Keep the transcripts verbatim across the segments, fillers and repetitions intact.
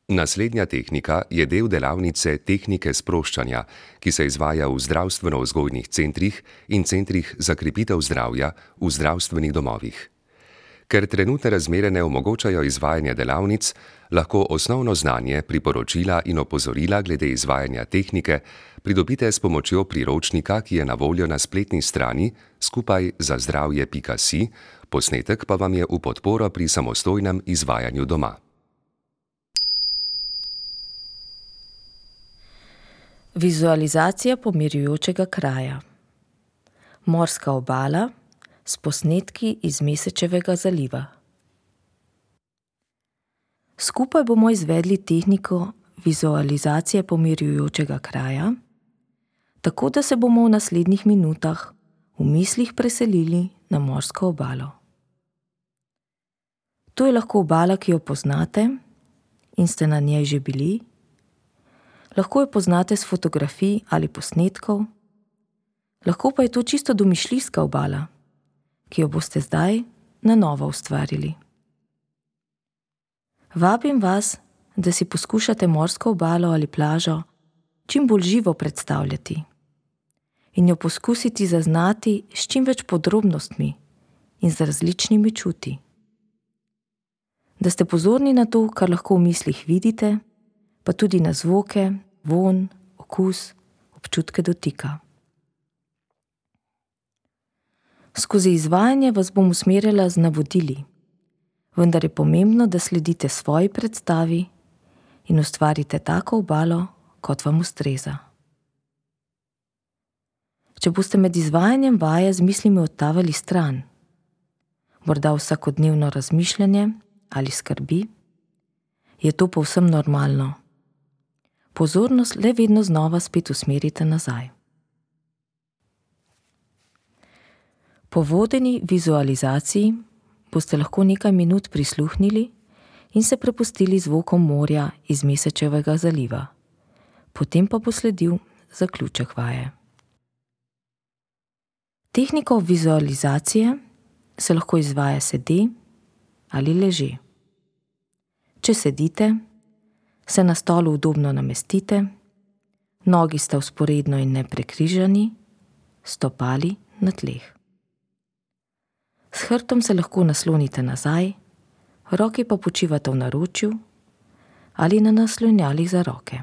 Naslednja tehnika je del delavnice tehnike sproščanja, ki se izvaja v zdravstveno-vzgojnih centrih in centrih za krepitev zdravja v zdravstvenih domovih. Ker trenutne razmere ne omogočajo izvajanja delavnic, lahko osnovno znanje, priporočila in opozorila glede izvajanja tehnike pridobite s pomočjo priročnika, ki je na voljo na spletni strani skupaj za zdravje pika si, posnetek pa vam je v podporo pri samostojnem izvajanju doma. Vizualizacija pomirjujočega kraja. Morska obala s posnetki iz Mesečevega zaliva. Skupaj bomo izvedli tehniko vizualizacije pomirjujočega kraja, tako da se bomo v naslednjih minutah v mislih preselili na morsko obalo. To je lahko obala, ki jo poznate in ste na njej že bili. Lahko jo poznate s fotografij ali posnetkov, lahko pa je to čisto domišljijska obala, ki jo boste zdaj na novo ustvarili. Vabim vas, da si poskušate morsko obalo ali plažo čim bolj živo predstavljati in jo poskusiti zaznati s čim več podrobnostmi in z različnimi čuti. Da ste pozorni na to, kar lahko v mislih vidite, pa tudi na zvoke, vonj, okus, občutke dotika. Skozi izvajanje vas bom usmerjala z navodili, vendar je pomembno, da sledite svoji predstavi in ustvarite tako obalo, kot vam ustreza. Če boste med izvajanjem vaje z mislimi odtavali stran, morda vsakodnevno razmišljanje ali skrbi, je to povsem normalno. Pozornost le vedno znova spet usmerite nazaj. Po vodeni vizualizaciji boste lahko nekaj minut prisluhnili in se prepustili zvokom morja iz Mesečevega zaliva. Potem pa bo sledil zaključek vaje. Tehniko vizualizacije se lahko izvaja sede ali leže. Če sedite, se na stolu udobno namestite, nogi sta vzporedno in ne prekrižani, stopali na tleh. S hrbtom se lahko naslonite nazaj, roke pa počivate v naročju ali na naslonjalih za roke.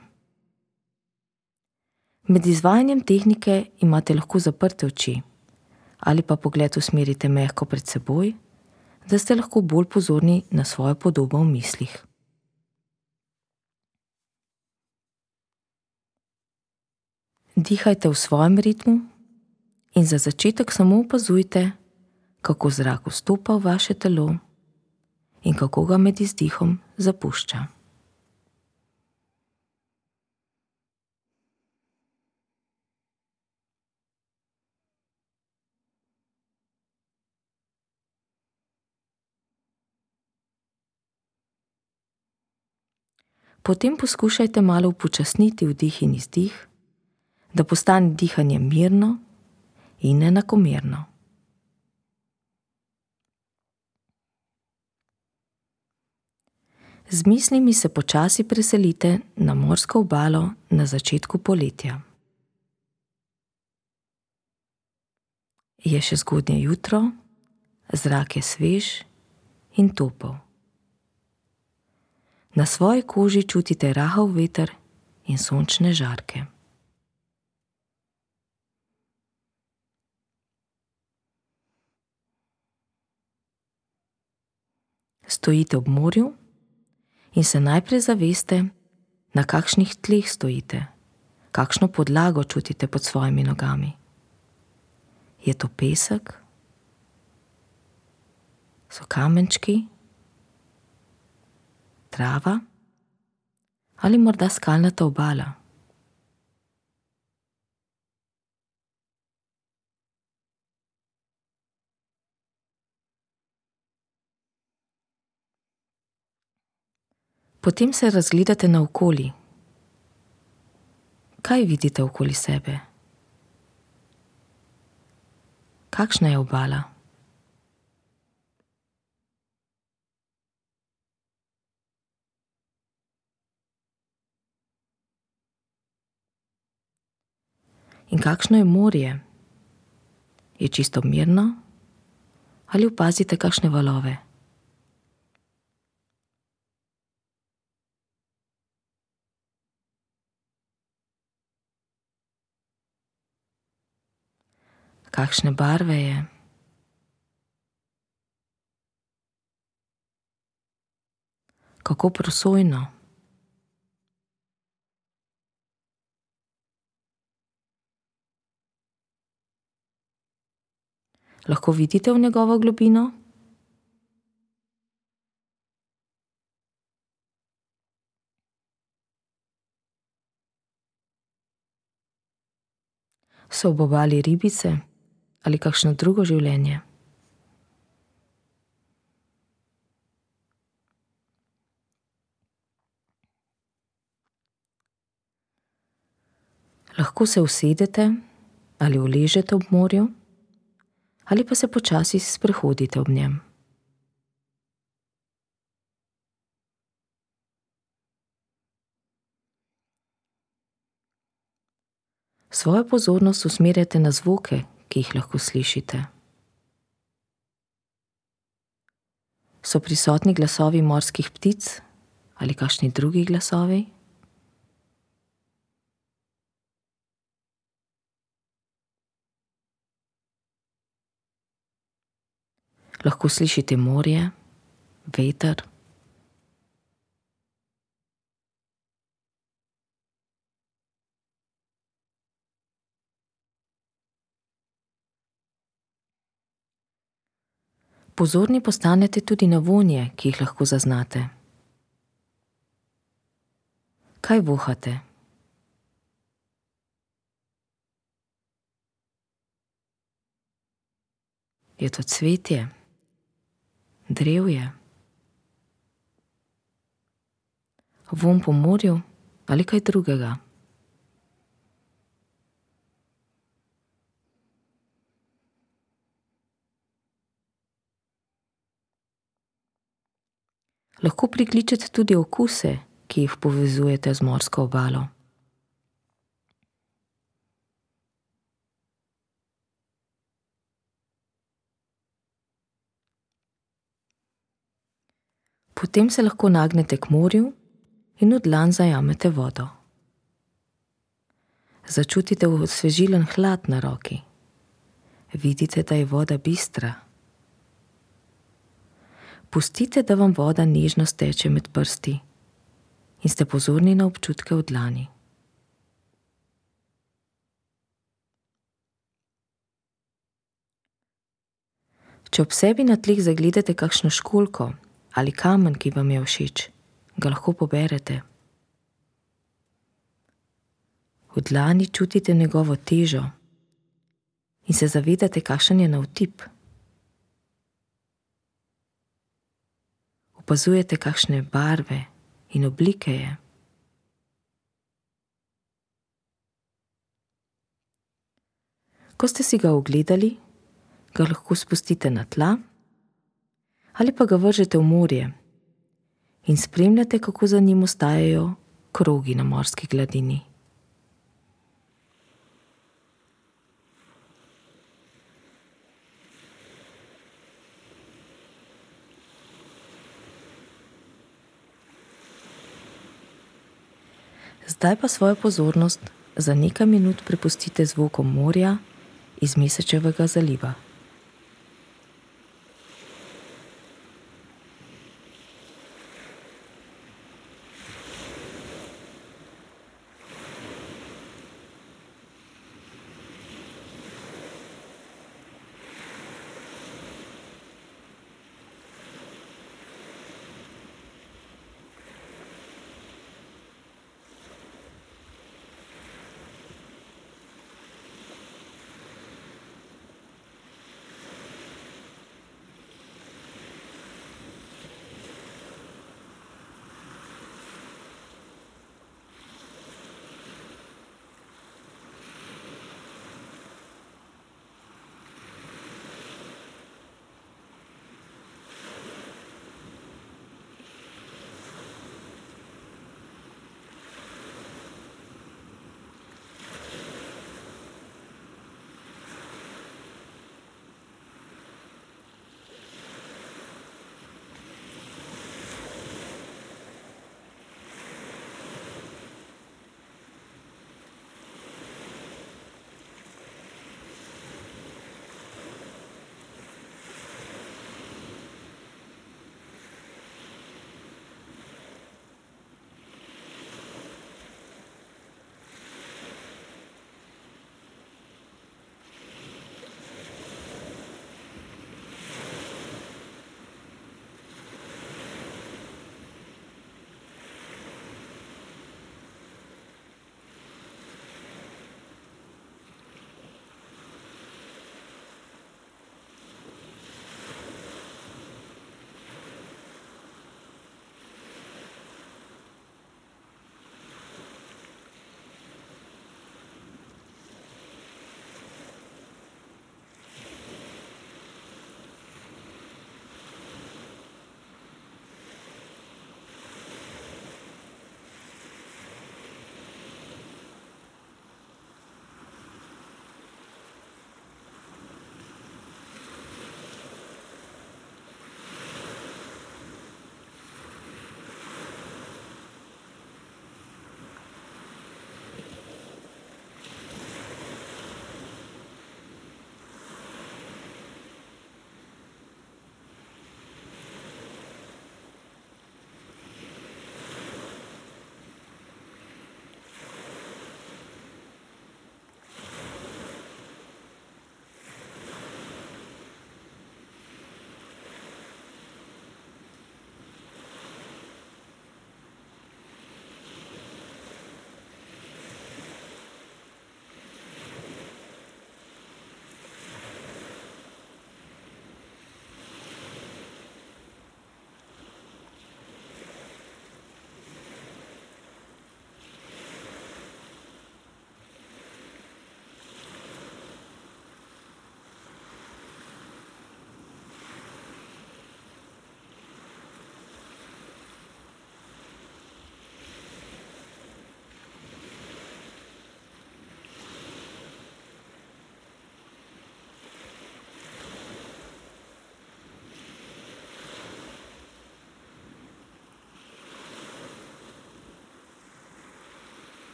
Med izvajanjem tehnike imate lahko zaprte oči ali pa pogled usmerite mehko pred seboj, da ste lahko bolj pozorni na svojo podobo v mislih. Dihajte v svojem ritmu in za začetek samo opazujte, kako zrak vstopa v vaše telo in kako ga med izdihom zapušča. Potem poskušajte malo upočasniti vdih in izdih, da postane dihanje mirno in enakomerno. Z mislimi se počasi preselite na morsko obalo na začetku poletja. Je še zgodnje jutro, zrak je svež in topel. Na svoji koži čutite rahel veter in sončne žarke. Stojite ob morju in se najprej zaveste, na kakšnih tleh stojite, kakšno podlago čutite pod svojimi nogami. Je to pesek? So kamenčki? Trava? Ali morda skalnata obala? Potem se razgledate naokoli. Kaj vidite okoli sebe? Kakšna je obala? In kakšno je morje? Je čisto mirno ali opazite kakšne valove? Kakšne barve je? Kako prosojno? Lahko vidite v njegovo globino? So ob obali ribice ali kakšno drugo življenje? Lahko se usedete ali uležete ob morju ali pa se počasi sprehodite ob njem. Svojo pozornost usmerjate na zvoke, ki jih lahko slišite. So prisotni glasovi morskih ptic ali kakšni drugi glasovi? Lahko slišite morje, veter. Pozorni postanete tudi na vonje, ki jih lahko zaznate. Kaj vohate? Je to cvetje? Drevje? Vonj po morju ali kaj drugega? Lahko prikličete tudi okuse, ki jih povezujete z morsko obalo. Potem se lahko nagnete k morju in v dlan zajamete vodo. Začutite osvežilen hlad na roki. Vidite, da je voda bistra. Pustite, da vam voda nežno steče med prsti in ste pozorni na občutke v dlani. Če ob sebi na tleh zagledate kakšno školjko ali kamen, ki vam je všeč, ga lahko poberete. V dlani čutite njegovo težo in se zavedate, kakšen je navtip. Opazujete, kakšne barve in oblike je. Ko ste si ga ogledali, ga lahko spustite na tla ali pa ga vržete v morje in spremljate, kako za njim ostajajo krogi na morski gladini. Zdaj pa svojo pozornost za nekaj minut prepustite zvokom morja iz Mesečevega zaliva.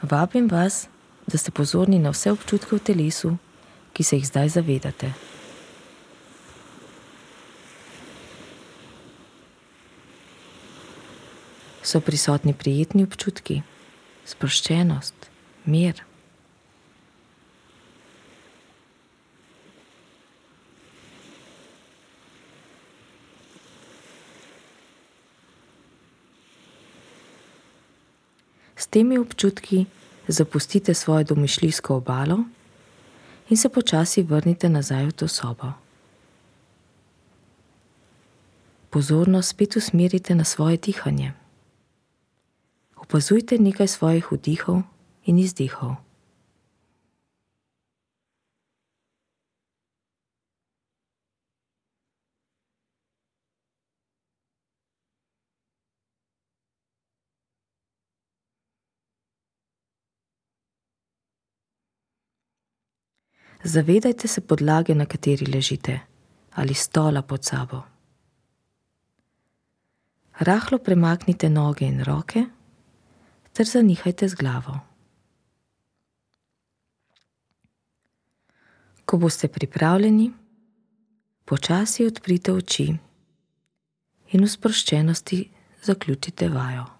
Vabim vas, da ste pozorni na vse občutke v telesu, ki se jih zdaj zavedate. So prisotni prijetni občutki, sproščenost, mir. S temi občutki zapustite svojo domišljijsko obalo in se počasi vrnite nazaj v to sobo. Pozornost spet usmerite na svoje dihanje. Opazujte nekaj svojih vdihov in izdihov. Zavedajte se podlage, na kateri ležite, ali stola pod sabo. Rahlo premaknite noge in roke ter zanihajte z glavo. Ko boste pripravljeni, počasi odprite oči in v sproščenosti zaključite vajo.